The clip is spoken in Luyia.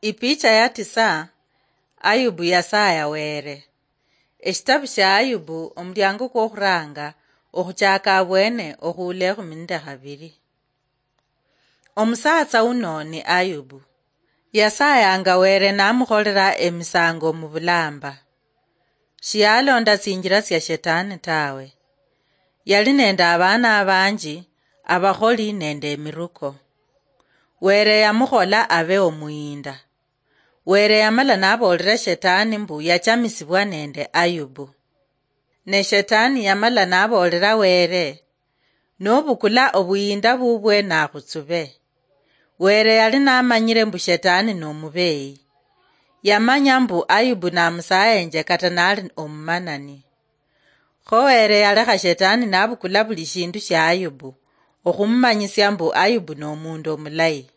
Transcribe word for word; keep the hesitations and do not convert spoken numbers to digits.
Ipicha ya tisa. Ayubu yasaya Were. Eshitabu sha Ayubu, omulyango kwokhuranga, okhuchaka abwene, okhuula ekhumi nende khabiri. Omusatsa uno ni Ayubu. Yasayanga Were namukholera emisango mu bulamba. Shiyalonda tsinjira tsia Shetani tawe. Yali nende abaana abanji, abakholi nende emiruko. Were yamukhola abe omuyinda. Were yamala naboolera Shetani mbu yachamisibwa nende Ayubu. Ne Shetani yamala naboolera Were, "Nobukula obuyinda bubwe nakhutsube." Were yali namanyire mbu Shetani nomubeyi. Yamanya mbu Ayubu namusayenje kata nali omumanani. Kho Were yalekha Shetani nabukula buli shindu shia Ayubu, okhumumanyisia mbu Ayubu nomundu omulayi.